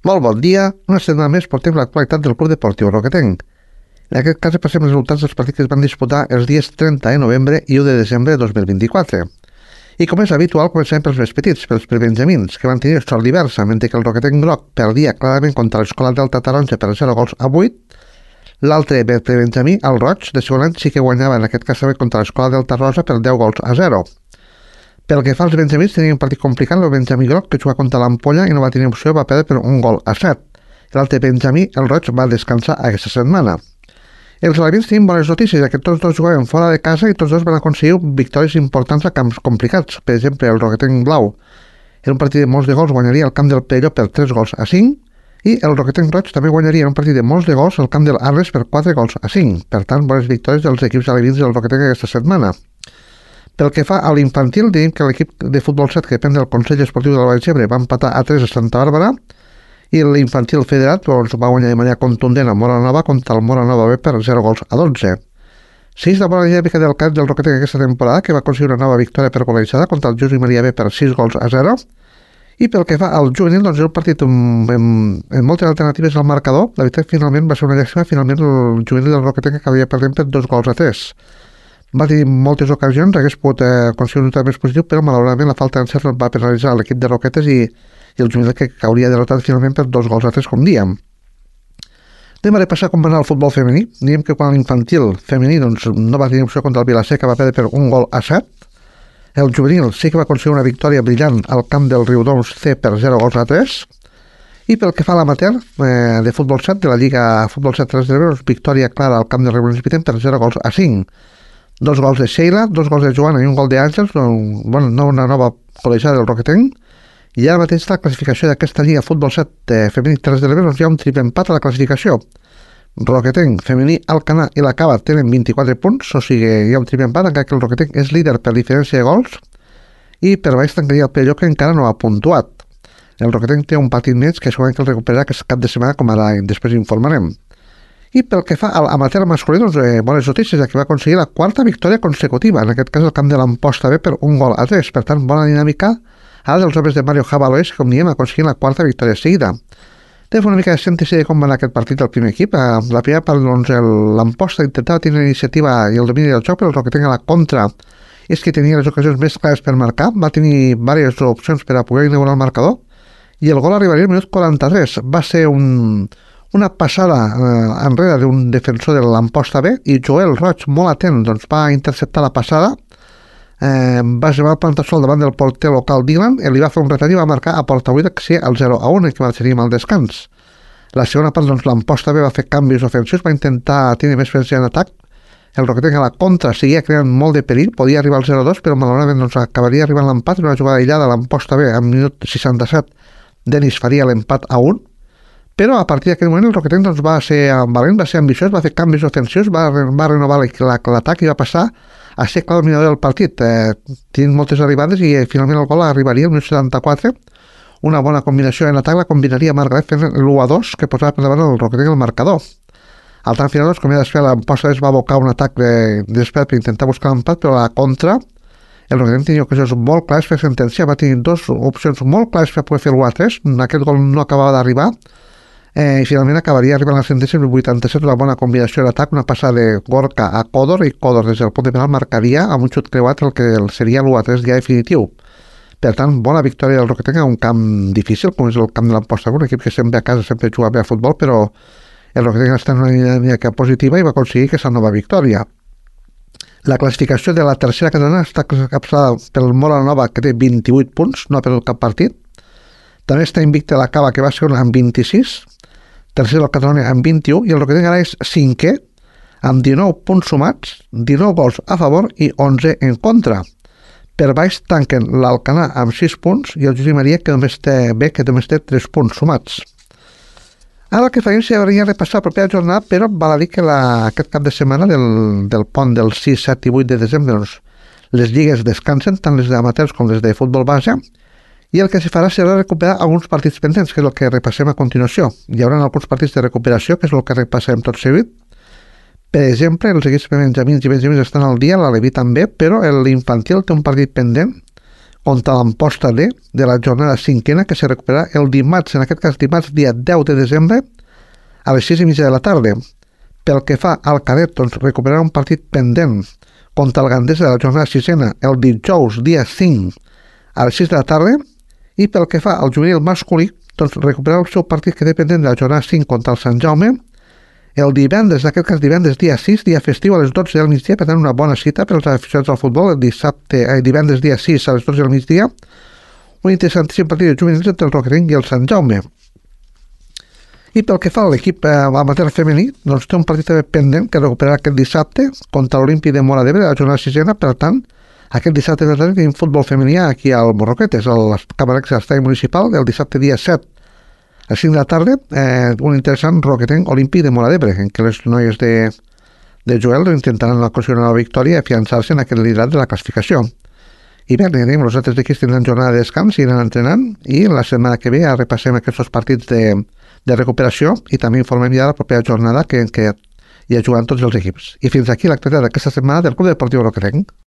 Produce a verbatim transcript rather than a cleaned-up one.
Molt bon dia, una setmana més portem l'actualitat del Club Deportiu Roquetenc. En aquest cas passem els resultats dels partits que es van disputar els dies trenta de novembre i u de desembre de dos mil vint-i-quatre. I com és habitual, comencem pels més petits, pels prebenjamins, que van tenir sort diversa, mentre que el Roquetenc groc perdia clarament contra l'Escola Delta Taronja per zero gols a vuit. L'altre prebenjamí, el Roig, de segon any, sí que guanyava en aquest cas també contra l'Escola Delta Rosa per deu gols a zero. Pel que fa als benjamins, tenia un partit complicat el Benjamí groc, que jugava contra l'Ampolla i no va tenir opció, va perdre per un gol a set. L'altre Benjamí, el Roig, va descansar aquesta setmana. Els alevins tenien bones notícies, ja que tots dos jugaven fora de casa i tots dos van aconseguir victòries importants a camps complicats. Per exemple, el Roquetenc blau, en un partit de molts de gols, guanyaria el camp del Perelló per tres gols a cinc, i el Roquetenc roig també guanyaria en un partit de molts de gols el camp del Arles per quatre gols a cinc. Per tant, bones victòries dels equips alevins del Roquetenc aquesta setmana. Pel que fa a l'infantil, diem que l'equip de futbol set que depèn del Consell Esportiu del Baix Ebre va empatar a tres a Santa Bàrbara i l'infantil federat doncs, va guanyar de manera contundent a Mora Nova contra el Mora Nova B per zero gols a dotze. Sis de bona dinàmica del cap del Roquetenc aquesta temporada, que va aconseguir una nova victòria per golejada contra el Josep Maria B per sis gols a zero. I pel que fa al juvenil, doncs, un partit amb, amb, amb moltes alternatives al marcador. La veritat, finalment va ser una llàstima, finalment el juvenil del Roquetenc acabaria perdent per dos gols a tres. Va tenir moltes ocasions, hagués pogut eh, aconseguir un resultat més positiu, però malauradament la falta d'encert va penalitzar l'equip de Roquetes i, i el juvenil que hauria derrotat finalment per dos gols a tres, com diem. Anem a repassar com va anar el futbol femení. Diem que quan l'infantil femení doncs, no va tenir opció contra el Vilaseca, va perdre per un gol a set. El juvenil sí que va aconseguir una victòria brillant al camp del Riudoms C per zero gols a tres. I pel que fa a l'amateur eh, de futbol set, de la Lliga Futbol set tres de l'Ebre, victòria clara al camp del Riudoms Pitem per zero gols a cinc. Dos gols de Sheila, dos gols de Joana i un gol d'Àngels, bueno, no una nova col·legiada del Roquetenc. I ara mateix la classificació d'aquesta Lliga Futbol set eh, femení tres de l'Ebre, doncs hi ha un triple empat a la classificació. Roquetenc, femení, Alcanar i la Cava tenen vint-i-quatre punts, o sigui, hi ha un triple empat, encara que el Roquetenc és líder per diferència de gols, i per baix tancaria el Perelló, que encara no ha puntuat. El Roquetenc té un partit més que segurament que el recuperarà aquest cap de setmana, com ara després informarem. I pel que fa a l'amateur masculí, doncs, eh, bones notícies, ja que va aconseguir la quarta victòria consecutiva, en aquest cas el camp de l'Amposta B per un gol a tres, per tant, bona dinàmica ara dels homes de Mario Jabalois, com diem, aconseguint la quarta victòria seguida. Té una mica de ciència de com va anar aquest partit del primer equip. A la primera part, doncs, l'Amposta intentava tenir l'iniciativa i el domini del joc, però el Roquetenc a la contra és que tenia les ocasions més clares per marcar, va tenir diverses opcions per a poder inaugurar el marcador, i el gol arribaria al minut quaranta-tres. Va ser un... una passada eh, enrere d'un defensor de l'Amposta B i Joel Roig, molt atent, doncs, va interceptar la passada, eh, va llevar el plantasol davant del porter local Dylan i li va fer un retall i va marcar a porta buida que sí, el zero a un, que marxaríem al descans. La segona part, doncs, l'Amposta B va fer canvis ofensius, va intentar tenir més presència en atac. El Roquetenc a la contra seguia creant molt de perill, podia arribar al zero a dos, però malauradament doncs, acabaria arribant l'empat, una jugada aïllada a l'Amposta B, en minut seixanta-set, Denis faria l'empat a un. Però a partir d'aquell moment el Roquetenc doncs, va ser valent, va ser ambiciós, va fer canvis ofensius, va, va renovar l'atac i va passar a ser clar dominador del partit. Eh, tenint moltes arribades i eh, finalment el gol arribaria al minut setanta-quatre. Una bona combinació en atac la combinaria Margaret fent l'u a dos que posava per davant el Roquetenc el marcador. Al tant final, doncs, com ja després, l'Amposta es va abocar un atac de, de despert per intentar buscar l'empat, però a la contra el Roquetenc tenia ocasions molt clares per sentència, va tenir dues opcions molt clares per poder fer l'u a tres, aquest gol no acabava d'arribar. Eh, i finalment acabaria arribant a la sentència el vuitanta-set, una bona combinació d'atac, una passada de Gorka a Codor, i Codor des del punt de penal marcaria amb un xut creuat el que seria l'u a tres ja definitiu. Per tant, bona victòria del Roquetenc a un camp difícil, com és el camp de l'Amposta, un equip que sempre a casa sempre juga bé a futbol, però el Roquetenc està en una dinàmica positiva i va aconseguir aquesta nova victòria. La classificació de la tercera catalana està capçada pel Mora Nova, que té vint-i-vuit punts, no ha perdut cap partit. També està invicta la Cava, que va ser amb vint-i-sis, tercer el Catalunya amb vint-i-u, i el Roquetenc ara és cinquè amb dinou punts sumats, dinou gols a favor i onze en contra. Per baix tanquen l'Alcanar amb sis punts i el Josep Maria, que només té B, que només té tres punts sumats. Ara el que farem seria repassar la propera jornada, però val a dir que la, aquest cap de setmana del, del pont del sis, set i vuit de desembre doncs, les lligues descansen, tant les d'amateurs com les de futbol base, i el que se farà serà recuperar alguns partits pendents, que és el que repassem a continuació. Hi haurà alguns partits de recuperació, que és el que repassem tot seguit. Per exemple, els equips benjamins i benjamins estan al dia, l'Aleví també, però l'infantil té un partit pendent contra l'Amposta D de la jornada cinquena, que se recuperarà el dimarts, en aquest cas dimarts dia deu de desembre, a les sis i mitja de la tarda. Pel que fa al cadet, doncs recuperarà un partit pendent contra el Gandesa de la jornada sisena el dijous dia cinc a les sis de la tarda, i pel que fa al juvenil masculí, doncs recuperarà el seu partit que depèn de la jornada cinc contra el Sant Jaume el divendres, en aquest cas divendres dia sis, dia festiu a les dotze del migdia, per tant una bona cita per als aficionats al futbol, el dissabte, eh, divendres dia sis a les dotze del migdia, un interessantíssim partit de juvenils entre el Roquerenc i el Sant Jaume. I pel que fa a l'equip eh, amateur femení, doncs té un partit també pendent que recuperarà aquest dissabte contra l'Olímpic de Móra d'Ebre, la jornada sisena, per tant, aquest dissabte de la tarda tenim futbol femení aquí al Morroquetes, al Camarecs a l'estadi municipal, el dissabte dia set a les cinc de la tarda, eh, un interessant Roquetenc Olímpic de Móra d'Ebre, en què les noies de, de Joel intentaran aconseguir una victòria i afiançar-se en aquest liderat de la classificació. I bé, tenim, els altres equips tindran jornada de descans, iran entrenant, i la setmana que ve ja repassem aquests partits de, de recuperació i també informem ja de la propera jornada que, en què hi ha jugant tots els equips. I fins aquí l'activitat d'aquesta setmana del Club Deportiu Roquetenc.